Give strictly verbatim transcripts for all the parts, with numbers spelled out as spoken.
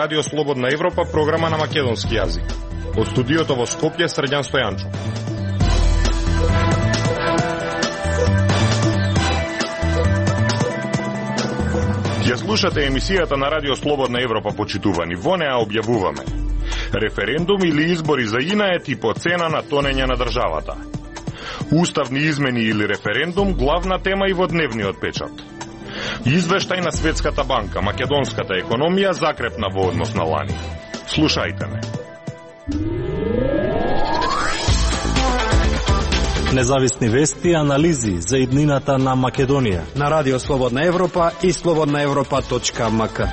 Радио Слободна Европа, програма на македонски јазик. Од студиото во Скопје, Срđan Стојанчов. Ја слушате емисијата на Радио Слободна Европа, почитувани. Во неа објавуваме: референдум или избори за Инает и по цена на тонење на државата. Уставни измени или референдум, главна тема и во дневниот печат. Извештај на Светската банка, македонската економија закрепна во однос на лани. Слушајте ме. Независни вести и анализи за иднината на Македонија на Радио Слободна Европа и слободна европа точка ем ка.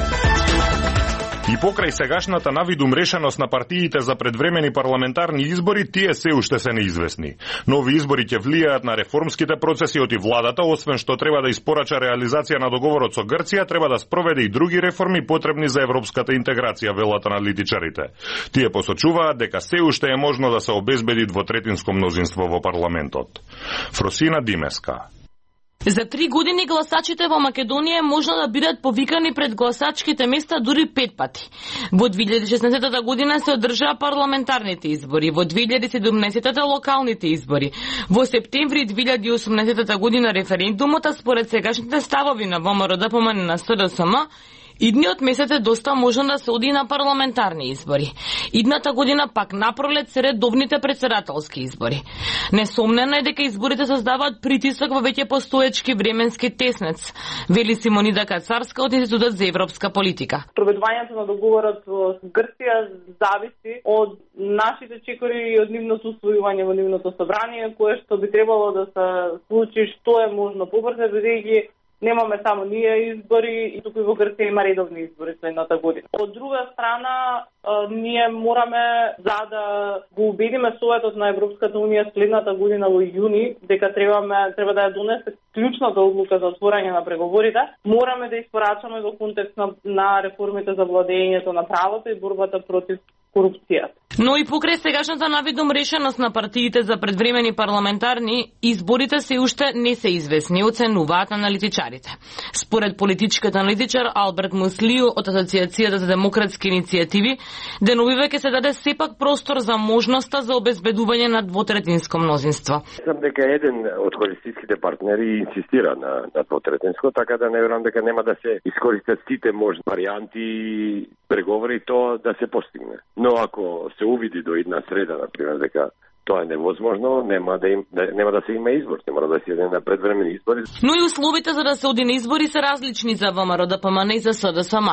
И покрај сегашната навидум решеност на партиите за предвремени парламентарни избори, тие се уште се неизвестни. Нови избори ќе влијаат на реформските процеси од и владата, освен што треба да испорача реализација на договорот со Грција, треба да спроведе и други реформи потребни за европската интеграција, велат аналитичарите. Тие посочуваат дека се уште е можно да се обезбеди двотретинско мнозинство во парламентот. Фросина Димеска. За три години гласачите во Македонија е можно да бидат повикани пред гласачките места дури пет пати. Во две илјади и шеснаесета година се одржаа парламентарните избори, во две илјади и седумнаесета локалните избори, во септември две илјади и осумнаесета година референдумот, а според сегашните ставови на ВМРО-ДПМН на СДСМ, идниот месец е доста можно да се оди на парламентарни избори. Идната година пак напролет се редовните претседателски избори. Несомнено е дека изборите создаваат притисок во веќе постоечки временски теснец, вели Симонида Кацарска од Институтот за европска политика. Проведувањето на договорот со Грција зависи од нашите чекори и од нивното усвојување во нивното собрание, кое што би требало да се случи што е можно побрзо, бидејќи немаме само ние избори, и туку и во Грција има редовни избори следната година. Од друга страна, ние мораме, за да го убедиме Советот на Европската Унија следната година во јуни, дека требаме, треба да ја донесе клучната одлука за отворање на преговорите, мораме да испорачаме во контекст на, на реформите за владењето на правото и борбата против корупцијата. Но и покрај сегашната навидум решеност на партиите за предвремени парламентарни, изборите се уште не се известни, оценуваат аналитичарите. Според политичкиот аналитичар Алберт Муслио од Асоциацијата за демократски иницијативи, деновиве ќе се даде сепак простор за можноста за обезбедување на двотретинско мнозинство. Сам дека еден од коалицијските партнери инсистира на, на двотретинско, така да не верувам дека нема да се искористат сите можни варијанти, преговори тоа да се постигне. Но ако се увиди до една среда, например, дека тоа е невозможно, нема да, им, да, нема да се има избор, не мора да се иде на предвремени избори. Но и условите за да се оди на избори се различни за ВМРО-ДПМН и за СДСМ.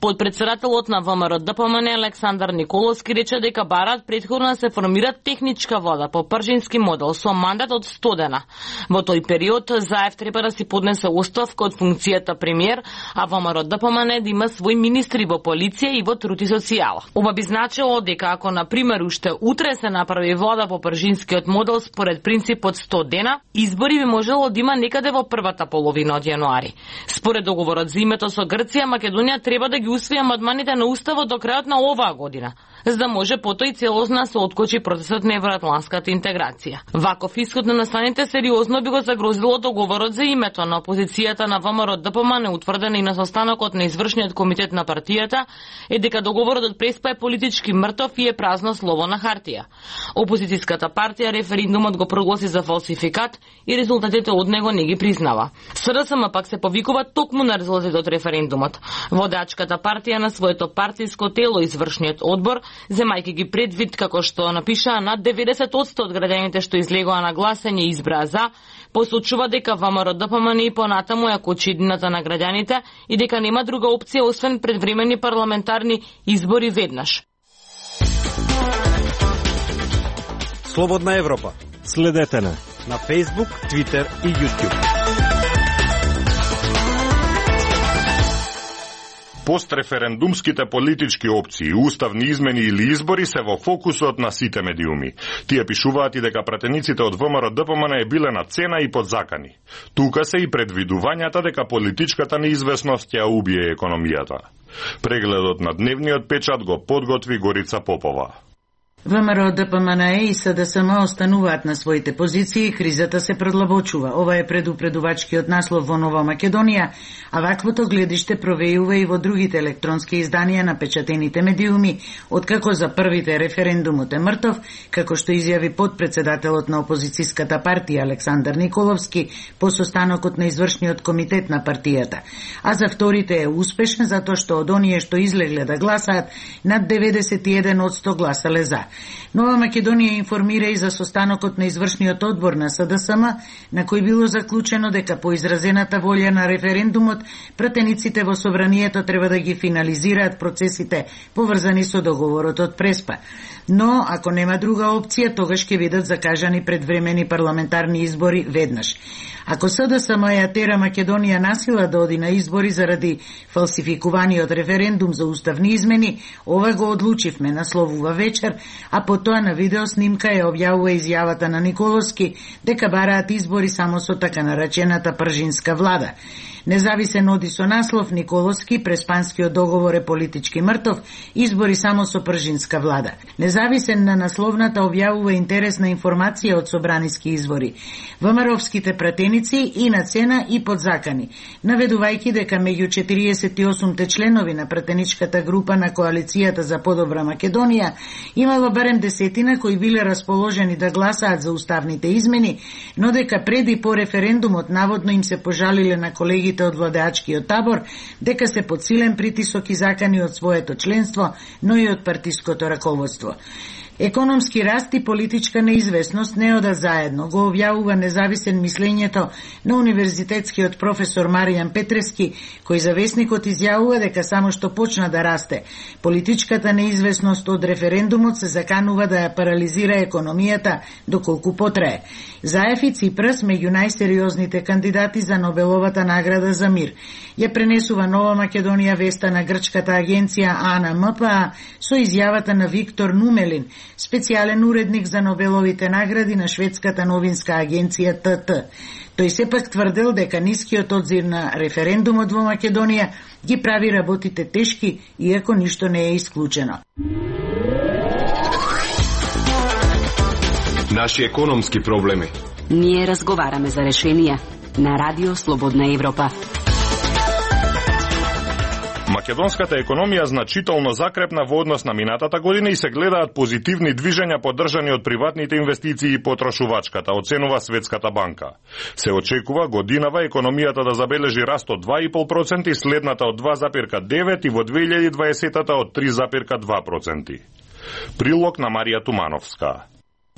Подпредседателот на ВМРО-ДПМН Александар Николовски рече дека бараат претходно да се формира техничка влада по пржински модел со мандат од сто дена. Во тој период Заев треба да си поднесе оставка од функцијата премиер, а ВМРО-ДПМН да има свој министри во полиција и во труд и социјала. Ова би значило дека ако на пример уште утре се направи влада по пржинскиот модел според принципот сто дена, избори би можело да има некаде во првата половина од јануари. Според договорот за името со Грција, Македонија треба да ги усвои амандманите на уставот до крајот на оваа година, за да може потоа и целосно се откочи процесот на евроатланската интеграција. Ваков исход на настаните сериозно би го загрозило договорот за името на опозицијата на ВМРО-ДПМН, утврдена и на состанокот на извршниот комитет на партијата, е дека договорот од Преспа е политички мртов и е празно слово на хартија. Опозицијската партија референдумот го прогласи за фалсификат и резултатите од него не ги признава. СДСМ пак се повикува токму на резултатите од референдумот. Водачката партија на своето партиско тело, извршниот одбор, земајќи ги предвид како што напишаа над деветдесет одсто од граѓаните што излегоа на гласање и избраа за, посочува дека ВМРО-ДПМН и понатаму ја кочи иднината на граѓаните и дека нема друга опција освен предвремени парламентарни избори веднаш. Слободна Европа. Следете на на Facebook, Twitter и YouTube. Постреферендумските политички опции, уставни измени или избори се во фокусот на сите медиуми. Тие пишуваат и дека пратениците од ВМРО-ДПМН е биле на цена и подзакани. Тука се и предвидувањата дека политичката неизвестност ќе убие економијата. Прегледот на дневниот печат го подготви Горица Попова. ВМРО Д П М Н Е и С Д С М остануваат на своите позиции и кризата се продлабочува. Ова е предупредувачкиот наслов во Нова Македонија, а ваквото гледиште провејува и во другите електронски изданија на печатените медиуми, откако за првите референдумот е мртов, како што изјави подпредседателот на опозицијската партија Александар Николовски по состанокот на извршниот комитет на партијата. А за вторите е успешен затоа што од оние што излегле да гласаат, над деветдесет и еден одсто гласале за. Нова Македонија информира и за состанокот на извршниот одбор на С Д С М, на кој било заклучено дека по изразената волја на референдумот, пратениците во собранието треба да ги финализираат процесите поврзани со договорот од Преспа. Но, ако нема друга опција, тогаш ќе бидат закажани предвремени парламентарни избори веднаш. Ако С Д С М ја тера Македонија насила да оди на избори заради фалсификуваниот референдум за уставни измени, ова го одлучивме, насловува вечер, а потоа на видео снимка ја објавува изјавата на Николовски дека бараат избори само со така наречената пржинска влада. Независен оди со наслов Николовски, преспанскиот договор е политички мртов, избори само со пржинска влада. Независен на насловната објавува интересна информација од собраниски избори. ВМРО-вските пратеници и на цена и под закани, наведувајќи дека меѓу четириесет и осумте членови на пратеничката група на Коалицијата за подобра Македонија имало барем десетина кои биле расположени да гласаат за уставните измени, но дека пред и по референдумот наводно им се пожалиле на колегите од владеачкиот табор дека се под силен притисок и закани од своето членство, но и од партиското раководство. Економски раст и политичка неизвестност не ода заедно, го објавува независен мислењето на универзитетскиот професор Маријан Петрески, кој за весникот изјавува дека само што почна да расте политичката неизвестност од референдумот се заканува да ја парализира економијата доколку потрае. Заев и Ципрас меѓу најсериозните кандидати за Нобеловата награда за мир. Ја пренесува Нова Македонија веста на грчката агенција А Н М П А со изјавата на Виктор Нумелин, специјален уредник за Нобеловите награди на шведската новинска агенција Т Т. Тој сепак тврдел дека нискиот одзир на референдумот во Македонија ги прави работите тешки, иако ништо не е исклучено. Наши економски проблеми. Ние разговараме за решенија на Радио Слободна Европа. Македонската економија значително закрепна во однос на минатата година и се гледаат позитивни движења поддржани од приватните инвестиции и потрошувачката, оценува Светската банка. Се очекува годинава економијата да забележи раст од два и пол проценти, и следната од два запирка девет и во две илјади и дваесетата од три запирка два проценти. Прилог на Марија Тумановска.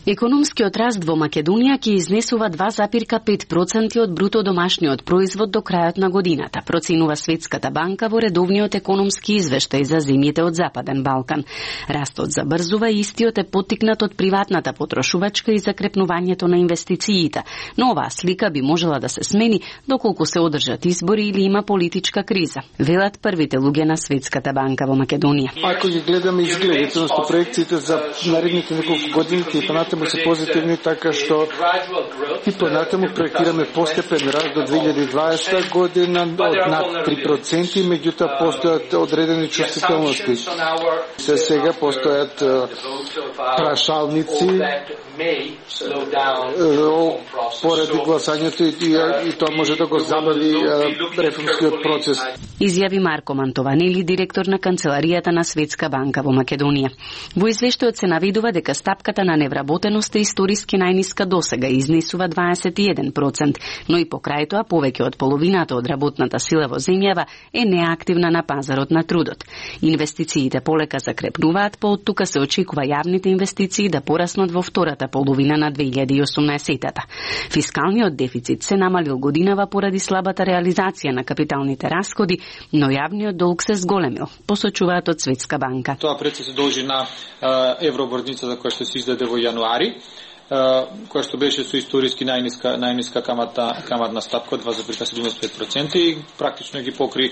Економскиот раст во Македонија ќе изнесува два запирка пет проценти од бруто домашниот производ до крајот на годината, проценува Светската банка во редовниот економски извештај за земјите од Западен Балкан. Растот забрзува и истиот е поттикнат од приватната потрошувачка и закрепнувањето на инвестициите, но оваа слика би можела да се смени доколку се одржат избори или има политичка криза, велат првите луѓе на Светската банка во Македонија. Ако ги гледаме изгледите на проекциите за наредните неколку години, ќе понатаму се позитивни, така што и понатаму проектираме постепен раст до две илјади и дваесета година од над три проценти, меѓутоа постојат одредени чувствителности. Се сега постојат прашалници поради гласањето и, и, и тоа може да го забави реформскиот процес. Изјави Марко Мантованели, директор на Канцеларијата на Светска банка во Македонија. Во извештајот се навидува дека стапката на невработеност е историски најниска досега, изнесува дваесет и еден проценти, но и покрај тоа повеќе од половината од работната сила во земјава е неактивна на пазарот на трудот. Инвестициите полека закрепнуваат, по од тука се очекува јавните инвестиции да пораснат во втората половина на две илјади и осумнаесетата. Фискалниот дефицит се намалил годинава поради слабата реализација на капиталните расходи, но јавниот долг се зголемил, посочуваат од Светска банка. Тоа пред се должи на евроборницата која што се издаде во јануари. која што беше со историски најниска најниска каматна каматна стапка од два зарез седумдесет и пет проценти и практично ги покри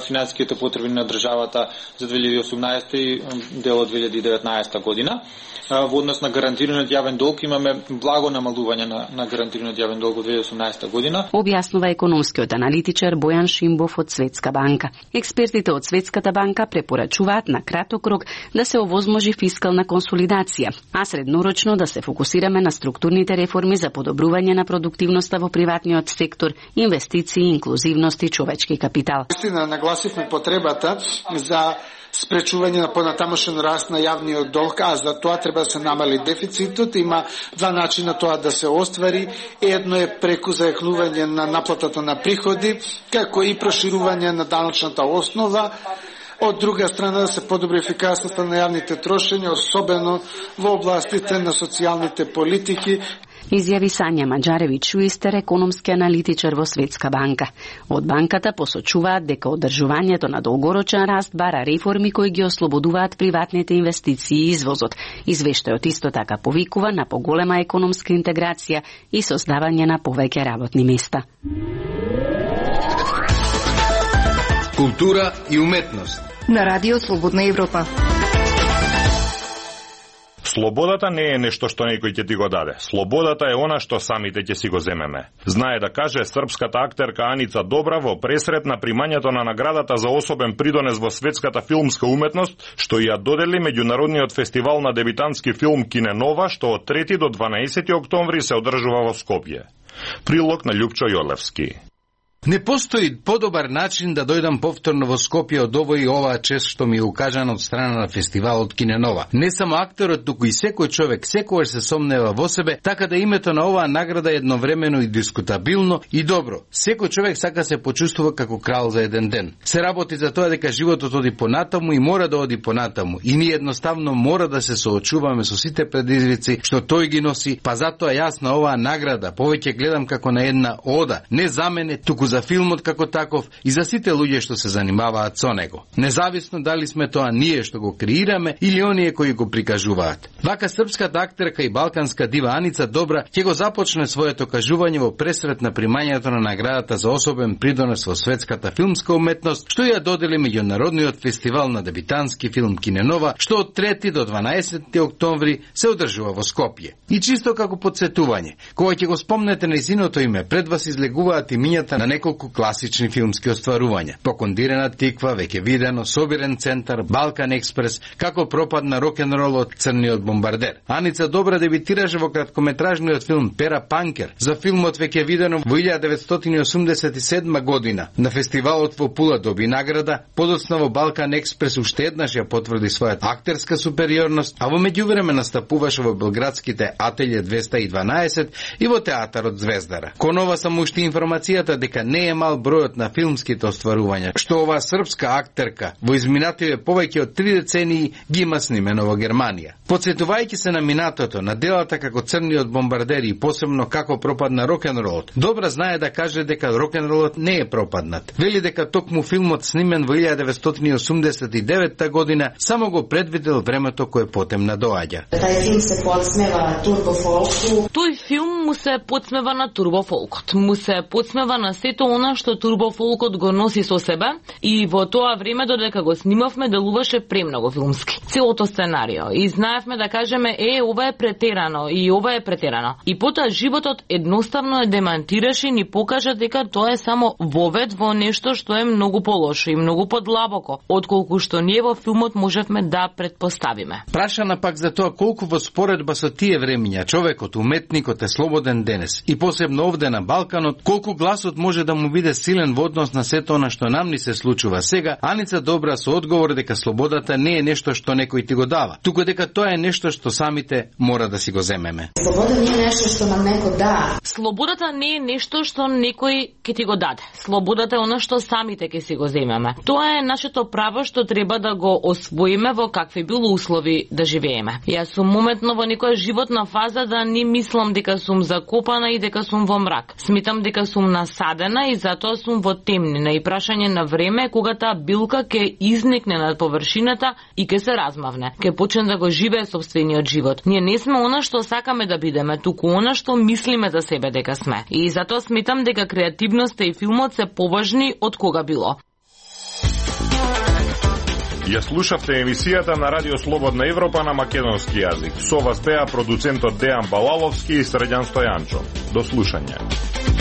финансиските потреби на државата за две илјади и осумнаесета и дел од две илјади и деветнаесета година. Во однос на гарантираниот јавен долг имаме благо намалување на, на гарантираниот јавен долг во две илјади и осумнаесета година. Објаснува економскиот аналитичар Бојан Шимбов од Светска банка. Експертите од Светската банка препорачуваат на краток рок да се овозможи фискална консолидација, а среднорочно да се фокусираме на структурните реформи за подобрување на продуктивноста во приватниот сектор, инвестиции, инклузивност и човечки капитал. Истина нагласивме потребата за спречување на понатамошен раст на јавниот долг, а за тоа треба да се намали дефицитот. Има два начина тоа да се оствари. Едно е преку зајакнување на наплатата на приходи, како и проширување на даночната основа. Од друга страна да се подобри ефикасноста на јавните трошења, особено во областите на социјалните политики. Изјави Сања Маџаревиќ-Шуистер, економски аналитичар во Светска банка. Од банката посочуваат дека одржувањето на долгорочен раст бара реформи кои ги ослободуваат приватните инвестиции и извозот. Извештајот исто така повикува на поголема економска интеграција и создавање на повеќе работни места. Култура и уметност на Радио Слободна Европа. Слободата не е нешто што некој ќе ти го даде. Слободата е она што самите ќе си го земеме. Знае да каже српската актерка Аница Добра во пресрет на примањето на наградата за особен придонес во светската филмска уметност, што ја додели меѓународниот фестивал на дебитантски филм Киненова, што од трети до дванаесети октомври се одржува во Скопје. Прилог на Љупчо Јолевски. Не постои подобар начин да дојдам повторно во Скопје од овој и оваа чест што ми е укажана од страна на фестивалот Киненова. Не само актерот, туку и секој човек секогаш се сомнева во себе, така да името на оваа награда е едновремено и дискутабилно и добро. Секој човек сака се почувствува како крал за еден ден. Се работи за тоа дека животот оди понатаму и мора да оди понатаму. И ние едноставно мора да се соочуваме со сите предизвици што тој ги носи, па затоа јас на оваа награда повеќе гледам како на една ода, не за мене, туку за филмот како таков и за сите луѓе што се занимаваат со него. Независно дали сме тоа ние што го креираме или оние кои го прикажуваат. Вака српската актерка и балканска дива Аница Добра ќе го започне своето кажување во пресрет на примањето на наградата за особен придонес во светската филмска уметност, што ја додели меѓународниот фестивал на дебитантски филм Киненова, што од трети до дванаесети октомври се одржува во Скопје. И чисто како подсетување, кога ќе го спомнете нејзиното име, пред вас излегуваат имињата на неколку класични филмски остварувања. Покондирена тиква, веќе видено, Собирен центар, Балкан експрес, како пропадна рок-н-ролот, Црниот бомбардер. Аница Добра дебитираше во краткометражниот филм Пера Панкер, за филмот веќе видено во илјада деветстотини осумдесет и седма година. На фестивалот во Пула доби награда, подоцна во Балкан експрес уште еднаш ја потврди својата актерска супериорност, а во меѓувреме настапуваше во белградските Ателје двеста и дванаесет и во театарот Звездара. Кон ова само уште информацијата дека не е мал бројот на филмските остварувања, што оваа српска актерка во изминативе повеќе од три децении ги има снимено во Германија. Подсетувајќи се на минатото, на делата како Црниот бомбардер и посебно како пропадна рок-н-ролот, Добра знае да каже дека рок-н-ролот не е пропаднат. Вели дека токму филмот снимен во илјада деветстотини осумдесет и девета година само го предвидел времето кое потем надоаѓа. Тај филм се подсмева турбофолку. Тој филм му се подсмева на турбофолкот, му се подсмева на сето она што турбофолкот го носи со себе и во тоа време додека го снимавме делуваше премногу филмски. Целото сценарио и знаевме да кажеме е ова е претерано и ова е претерано. И потоа животот едноставно е демантираше и ни покажа дека тоа е само вовед во нешто што е многу полошо и многу подлабоко отколку што ние во филмот можевме да предпоставиме. Прашана пак за тоа колку во споредба со тие времиња човекот, уметникот е слободен денес и посебно овде на Балканот, колку гласот може да му биде силен во однос на сето она што нам ни се случува сега, Аница Добра со одговор дека слободата не е нешто што некој ти го дава, туку дека тоа е нешто што самите мора да си го земеме. Слобода не е нешто што нам некој дава. Слободата не е нешто што некој ќе ти го даде. Слободата е она што самите ќе си го земеме. Тоа е нашето право што треба да го освоиме во какви било услови да живееме. Јас сум моментно во некоја животна фаза да не мислам дека сум закопана и дека сум во мрак. Смитам дека сум насадена стана и затоа сум во темнина и прашање на време кога таа билка ќе изникне над површината и ќе се размавне. Ќе почне да го живее сопствениот живот. Ние не сме она што сакаме да бидеме, туку она што мислиме за себе дека сме. И затоа сметам дека креативноста и филмот се поважни од кога било. Ја слушавте емисијата на Радио Слободна Европа на македонски јазик. Со вас беа продуцентот Дејан Балаловски и Срđan Стојанчо. До слушање.